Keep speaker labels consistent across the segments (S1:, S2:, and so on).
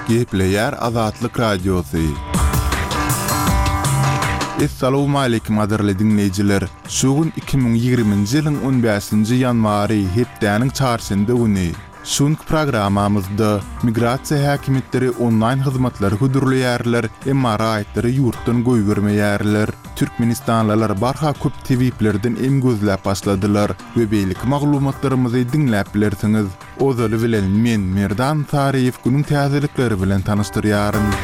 S1: Gepleýär Azatlyk Radiosy. Essalawmaleýkim gadyrly diňleýjiler! Şu gün 2020-nji ýylyň on bäşinji ýanwary, hepdäniň çarşenbe güni. Şu günki programmamyzda, migrasiýa häkimiýetleri onlaýn hyzmatlary hödürleýärler, emma raýatlary ýurtdan goýbermeýärler. Türkmenistanlylar barha köp tebiplerden em gözläp başladylar we beýleki maglumatlarymyzy diňläp bilersiňiz. Ozaly bilen men, Merdan Saryýew günüň täzelikleri bilen tanyşdyrýaryn.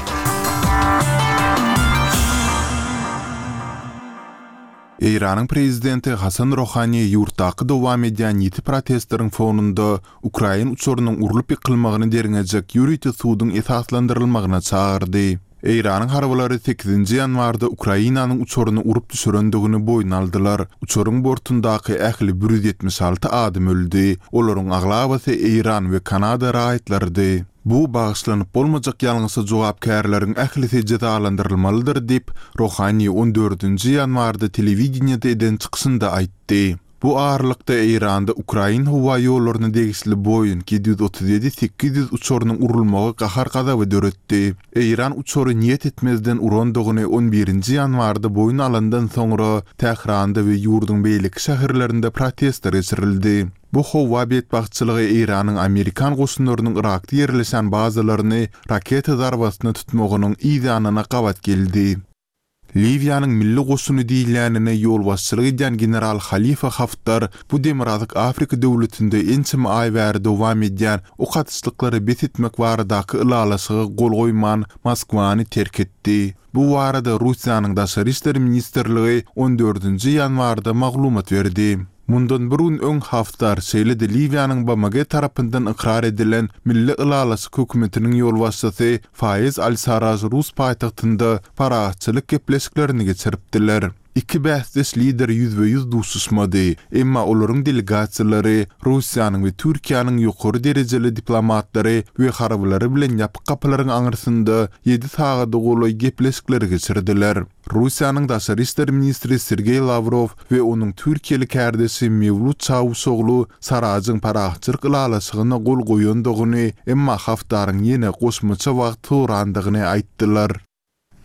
S1: Eýranyň prezidenti Hasan Rohani ýurtdaky dowam edýän ýiti protestleriň fonunda ukrain uçarynyň urlup ýykylmagyny derňejek ýörite suduň esaslandyrylmagyna çagyrdy. Eýranyň harbylary sekizinji ýanwarda Ukrainanyň uçaryny urup düşürendigini boýun aldylar. Uçaryň bortundaky ähli 176 adam öldi. Olaryň aglabasy eýran we kanada raýatlarydy. Bu bagyşlanyp bolmajak ýalňyşa jogapkärleriň ählisi jezalandyrylmalydyr diýip, Rohani on dördünji ýanwarda telewideniýede eden çykyşynda aýtdy. Bu aralykda, Eýranda ukrain howa ýollaryna degişli Boeing 737 800 uçarynyň urulmagy gahar-gazaby döretdi. Eýran uçary niýet etmezden urandygyny on birinji ýanwarda boýun alandan soňra, Tähranda we ýurduň beýleki şäherlerinde protestler geçirildi. Bu howa betbagtçylygy Eýranyň amerikan goşunlarynyň Yrakda ýerleşen bazalaryny raketa zarbasyna tutmagynyň yz ýanyna gabat geldi. Liwiýanyň milli goşuny diýilýänine ýolbaşçylyk edýän general Halifa Haftar bu Demirgazyk Afrika döwletinde ençeme aý bäri dowam edýän ok atyşlyklary bes etmek baradaky ylalaşyga gol goýman, Moskwany terk etdi. Bu barada Russiýanyň Daşary işler ministrligi on dördünji ýanwarda maglumat berdi. Mundan bir gün öň Haftar, şeýle-de Liwiýanyň BMG tarapyndan ykrar edilen Milli ylalaşyk hökümetiniň ýolbaşçysy Faýez al-Sarraj rus paýtagtynda parahatçylyk gepleşiklerini geçiripdiler. Iki bäsdeş lider ýüzbe-ýüz duşuşmady, emma olaryň delegasiýalary Russiýanyň we Türkiýäniň ýokary derejeli diplomatlary we harbylary bilen ýapyk gapylaryň aňyrsynda ýedi sagada golaý gepleşikleri geçirdiler. Russiýanyň daşary işler ministri Sergeý Lawrow we onuň türkiýeli kärdeşi Mewlut Çawuşoglu Sarajyň parahatçylyk ylalaşygyna gol goýandygyny, emma Haftaryň ýene goşmaça wagt sorandygyny aýtdylar.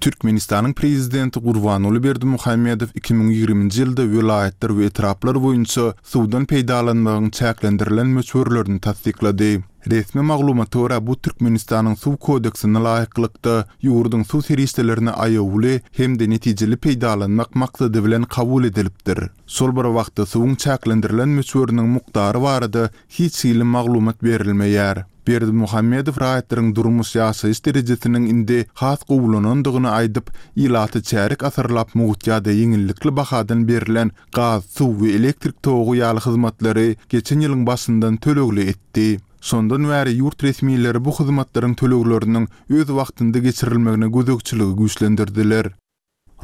S1: Türkmenistanyň Prezidenti Gurbanguly Berdimuhamedow 2020-nji ýylda welaýatlar we etraplar boýunça suwdan peýdalanmagyň çäklendirilen möçberlerini tassyklady. Resmi maglumata görä, bu Türkmenistanyň Suw kodeksine laýyklykda, ýurduň suw serişdelerini aýawly hem-de netijeli peýdalanmak maksady bilen kabul edilipdir. Şol bir wagtda, suwuň çäklendirilen möçberiniň mukdary barada hiç hili maglumat berilmeýär. Berdimuhamedow raýatlaryň durmuş-ýaşaýyş derejesiniň indi has gowulanandygyny aýdyp, ilata çärýek asyrlap mugt ýa-da ýeňillikli bahadan berlen gaz, suw we elektrik togy ýaly hyzmatlary geçen ýylyň başyndan tölegli etdi. Şondan bäri ýurt resmileri bu hyzmatlaryň tölegleriniň öz wagtynda geçirilmegine gözegçiligi güýçlendirdiler.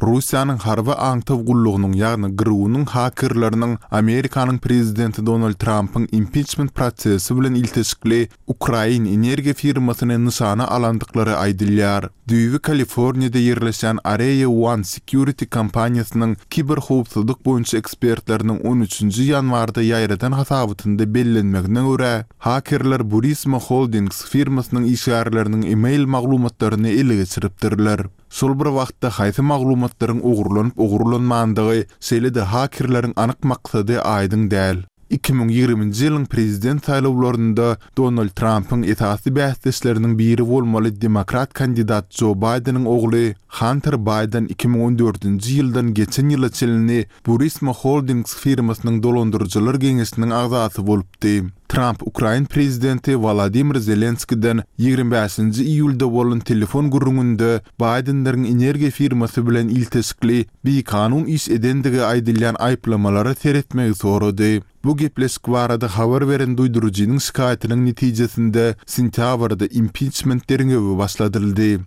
S1: Russiýanyň harby aňtaw gullugynyň, ýagny GRU-nyň hakerleriniň Amerikanyň prezidenti Donald Trampyň impiçment prosesi bilen ilteşikli ukrain energiýa firmasyny nyşana alandyklary aýdylýar. Düýbi Kaliforniýada ýerleşýän Area One Security kompaniýasynyň kiberhowpsuzlyk boýunça ekspertleriniň on üçünji ýanwarda ýaýradan hasabatynda bellenmegine görä, hakerler Burisma Holdings firmasynyň işgärleriniň e-mail maglumatlaryny ele geçiripdirler. Şol bir wagtda haýsy maglumatlaryň ogurlanyp-ogurlanmandygy, şeýle-de hakerleriň anyk maksady aýdyň däl. 2020-nji ýylyň prezident saýlawlarynda Donald Trampyň esasy bäsdeşleriniň biri bolmaly demokrat kandidat Jo Baýdeniň ogly Hanter Baýden 2014-nji ýyldan geçen ýyla çenli Burisma Holdings firmasynyň dolandyryjylar geňeşiniň agzasy bolupdy. Tramp ukrain prezidenti Wolodymyr Zelenskiden 25-nji iýulda bolan telefon gürrüňinde Baýdenleriň energiýa firmasy bilen ilteşikli bikanun iş edendigi aýdylýan aýyplamalara seretmegi sorady. Bu gepleşik barada habar beren duýduryjynyň şikaýatynyň netijesinde sentýabrda impiçment derňewi başladyldy.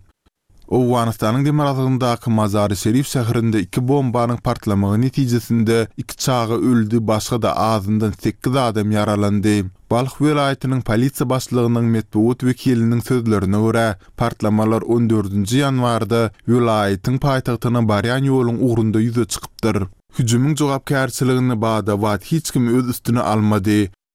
S1: Owganystanyň demirgazygyndaky Mazary-Şerif şäherinde iki bombanyň partlamagy netijesinde iki çaga öldi, başga-da azyndan sekiz adam ýaralandy. Balh welaýatynyň polisiýa başlygynyň metbugat wekiliniň sözlerine görä, Partlamalar on dördünji ýanwarda welaýatyň paýtagtyna barýan ýoluň ugrunda ýüze çykypdyr. Hüjümiň jogapkärçiligini bada-bat hiç kim öz üstüne almady.